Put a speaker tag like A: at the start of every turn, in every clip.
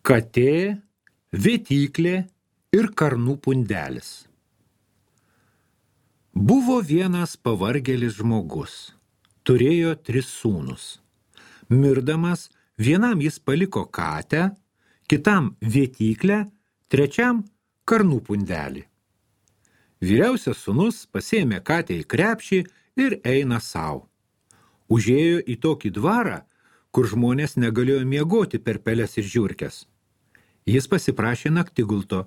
A: Katė, vėtyklė ir karnų pundelis. Buvo vienas pavargėlis žmogus. Turėjo 3 sūnus. Mirdamas, vienam jis paliko katę, kitam vėtyklę, trečiam karnų pundelį. Vyriausias sūnus pasiėmė katę į krepšį ir eina sau. Užėjo į tokį dvarą, kur žmonės negalėjo miegoti per peles ir žiurkes. Jis pasiprašė naktigulto,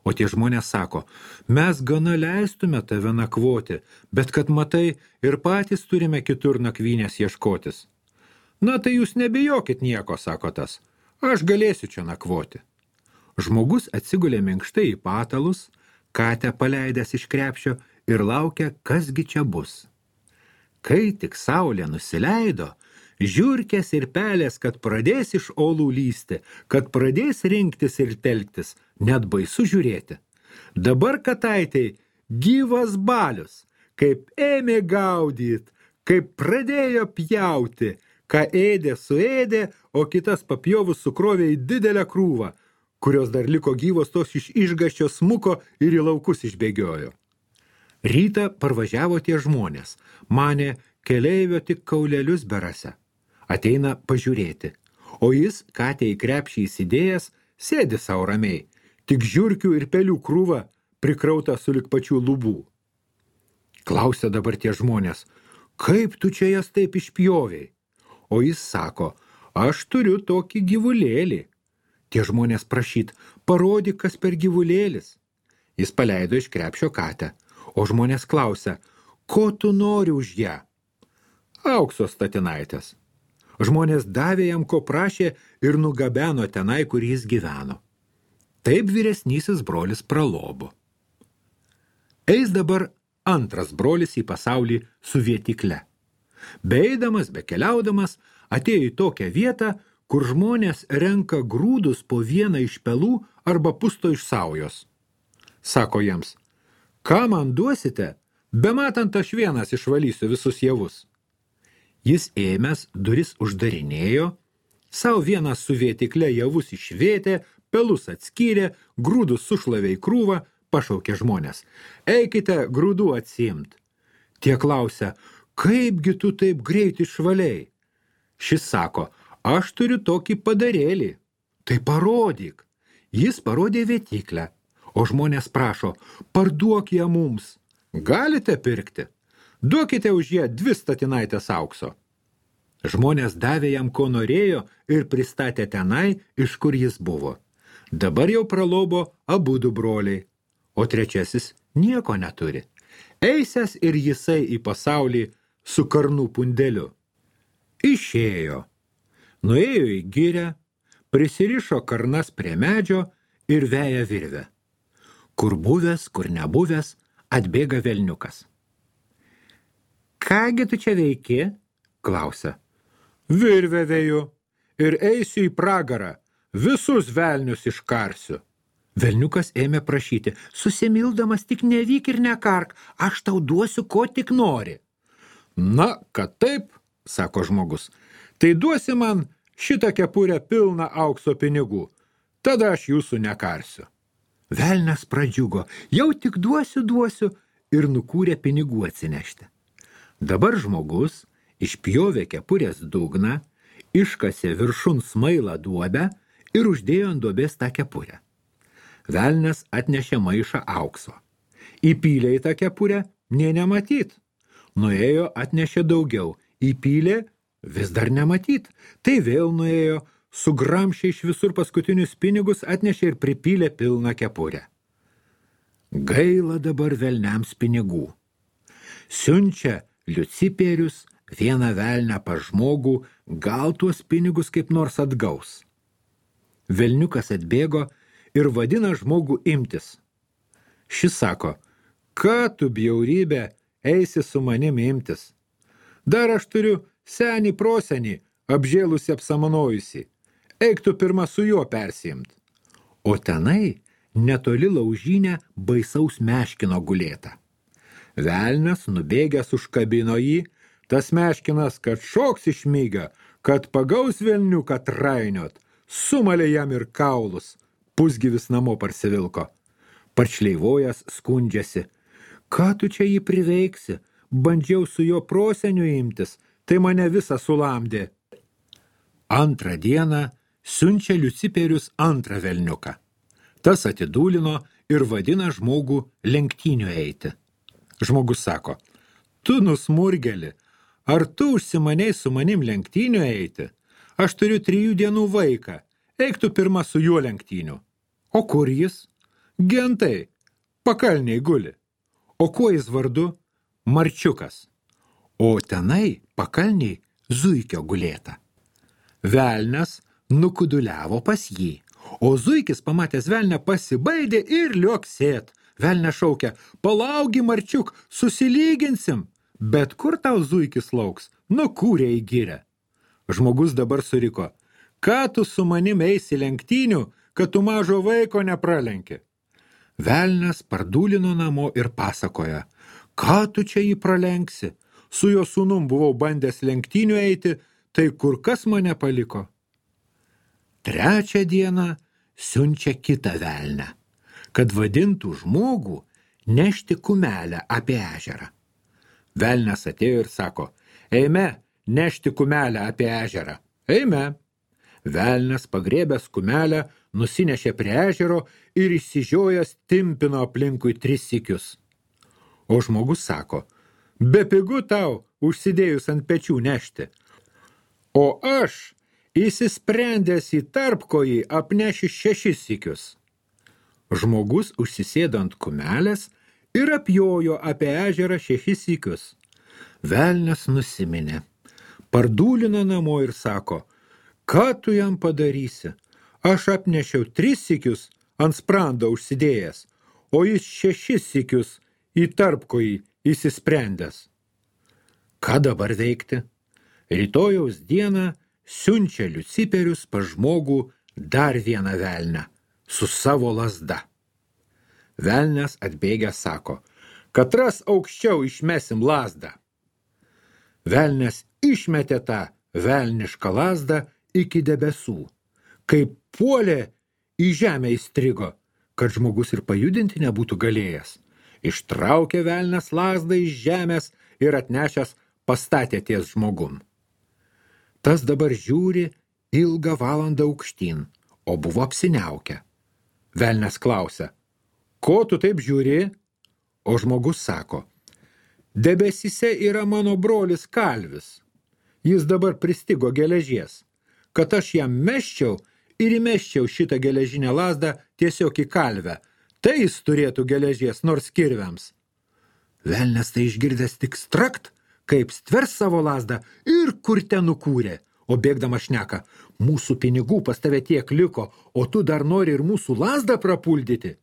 A: o tie žmonės sako, mes gana leistume tave nakvoti, bet kad matai, ir patys turime kitur nakvynės ieškotis. Na tai jūs nebijokit nieko, sako tas, aš galėsiu čia nakvoti. Žmogus atsigulė minkštai į patalus, katę paleidęs iš krepšio ir laukia, kasgi čia bus. Kai tik saulė nusileido, žiurkės ir pelės, kad pradės iš olų lysti, kad pradės rinktis ir telktis, net baisu žiūrėti. Dabar kataitei gyvas balius, kaip ėmė gaudyt, kaip pradėjo pjauti, ką ėdė suėdė, o kitas papjovus sukrovė į didelę krūvą, kurios dar liko gyvos tos iš išgąsčio smuko ir į laukus išbėgiojo. Rytą parvažiavo tie žmonės, manė keleivio tik kaulelius berase. Ateina pažiūrėti, o jis, katę į krepšį įsidėjęs, sėdi sau ramiai, tik žiurkių ir pelių krūva prikrauta sulig pačių lubų. Klausia dabar tie žmonės, kaip tu čia jas taip išpjovei? O jis sako, aš turiu tokį gyvulėlį. Tie žmonės prašyt, parodyk, kas per gyvulėlis. Jis paleido iš krepšio katę, o žmonės klausia, ko tu nori už ją? Aukso statinaitės. Žmonės davė jam, ko prašė ir nugabeno tenai, kur jis gyveno. Taip vyresnysis brolis pralobo. Eis dabar antras brolis į pasaulį su vėtykle. Beeidamas, bekeliaudamas, atėjo į tokią vietą, kur žmonės renka grūdus po vieną iš pelų arba pusto iš saujos. Sako jiems, ką man duosite, bematant aš vienas išvalysiu visus javus. Jis ėmęs duris uždarinėjo, savo vienas su vėtikle javus išvėtė, pelus atskyrė, grūdus sušlavė į krūvą, pašaukė žmonės. Eikite grūdų atsiimt. Tie klausia, kaipgi tu taip greit išvaliai? Šis sako, aš turiu tokį padarėlį. Tai parodyk. Jis parodė vėtiklę, o žmonės prašo, parduok ją mums. Galite pirkti? Duokite už ją 2 statinaitės aukso. Žmonės davė jam, ko norėjo ir pristatė tenai, iš kur jis buvo. Dabar jau pralobo abudu broliai, o trečiasis nieko neturi. Eisęs ir jisai į pasaulį su karnų pundeliu. Išėjo. Nuėjo į girią, prisirišo karnas prie medžio ir veja virvę. Kur buvęs, kur nebuvęs, atbėga velniukas. Kągi tu čia veiki? Klausia. Virvę veju ir eisiu į pragarą, visus velnius iškarsiu. Velniukas ėmė prašyti, susimildamas tik nevyk ir nekark, aš tau duosiu, ko tik nori. Na, kad taip, sako žmogus, tai duosi man šitą kepurę pilną aukso pinigų, tada aš jūsų nekarsiu. Velnias pradžiugo, jau tik duosiu ir nukūrė pinigų atsinešti. Dabar žmogus išpjovė kepurės dugną, iškasė viršun smailą duobę ir uždėjo ant duobės tą kepurę. Velnias atnešė maišą aukso. Įpylė į tą kepurę, nė nematyt. Nuėjo, atnešė daugiau. Įpylė, vis dar nematyt. Tai vėl nuėjo, sugramšė iš visur paskutinius pinigus, atnešė ir pripylė pilną kepurę. Gaila dabar velniams pinigų. Siunčia liucipierius, vieną velnę pas žmogų, gal tuos pinigus kaip nors atgaus. Velniukas atbėgo ir vadina žmogų imtis. Šis sako, ką tu bjaurybė eisi su manim imtis? Dar aš turiu senį prosenį, apžėlusi apsamanojusi. Eik tu pirma su juo persiimt. O tenai netoli laužynę baisaus meškino gulėta. Velnias nubėgęs užkabino jį, tas meškinas, kad šoks iš mygą, kad pagaus velniuką trainiot, sumalė jam ir kaulus, pusgyvis namo parsivilko. Paršleivojas skundžiasi. Ką tu čia jį priveiksi? Bandžiau su jo proseniu imtis, tai mane visą sulamdė. Antrą dieną siunčia Liuciperius antrą velniuką. Tas atidūlino ir vadina žmogų lenktynių eiti. Žmogus sako, tu nusmurgeli, ar tu užsimaniai su manim lenktynių eiti? Aš turiu 3 dienų vaiką, eik tu pirma su juo lenktynių. O kur jis? Gentai, pakalniai guli. O kuo jis vardu? Marčiukas. O tenai pakalniai zuikio gulėta. Velnias nukuduliavo pas jį, o zuikis pamatęs velnę pasibaidė ir lioksėt. Velnias šaukia, palaugi Marčiuk, susilyginsim. Bet kur tau zuikis lauks? Nukūrė į girę. Žmogus dabar suriko, ką tu su manim eisi lenktynių, kad tu mažo vaiko nepralenki? Velnias pardūlino namo ir pasakoja, ką tu čia jį pralenksi? Su jo sūnum buvau bandęs lenktynių eiti, tai kur kas mane paliko? Trečią dieną siunčia kitą velnę, kad vadintų žmogų nešti kumelę apie ežerą. Velnias atėjo ir sako, eime, nešti kumelę apie ežerą. Eime. Velnias pagrėbęs kumelę, nusinešė prie ežero ir išsižiojęs timpino aplinkui 3 sykius. O žmogus sako, bepigu tau užsidėjus ant pečių nešti. O aš, įsisprendęs į tarpkojį, apnešiu 6 sykius. Žmogus užsisėdo ant kumelės ir apjojo apie ežerą 6 sykius. Velnias nusiminė, pardūlino namo ir sako, ką tu jam padarysi? Aš apnešiau 3 sykius ant sprando užsidėjęs, o jis 6 sykius į tarpkojį įsisprendęs. Ką dabar veikti? Rytojaus dieną siunčia Liuciperius pas žmogų dar vieną velnę su savo lazda. Velnias atbėgęs sako, katras aukščiau išmesim lazdą. Velnias išmetė tą velnišką lazdą iki debesų, kaip puolė į žemę įstrigo, kad žmogus ir pajudinti nebūtų galėjęs. Ištraukė velnias lazdą iš žemės ir atnešęs pastatė ties žmogum. Tas dabar žiūri ilgą valandą aukštyn, o buvo apsiniaukę. Velnias klausia, ko tu taip žiūri? O žmogus sako, debesyse yra mano brolis Kalvis. Jis dabar pristigo geležies, kad aš jam meščiau ir įmeščiau šitą geležinę lazdą tiesiog į kalvę. Tai jis turėtų geležies nors kirviams. Velnias tai išgirdęs tik strakt, kaip stvers savo lazdą ir kur ten nukūrė. O bėgdama šneka, mūsų pinigų pas tave tiek liko, o tu dar nori ir mūsų lazdą prapuldyti.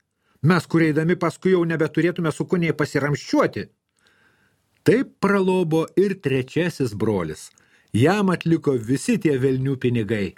A: Mes, kur eidami paskui jau nebeturėtume su kuniai pasiramščiuoti. Taip pralobo ir 3 brolis. Jam atliko visi tie velnių pinigai.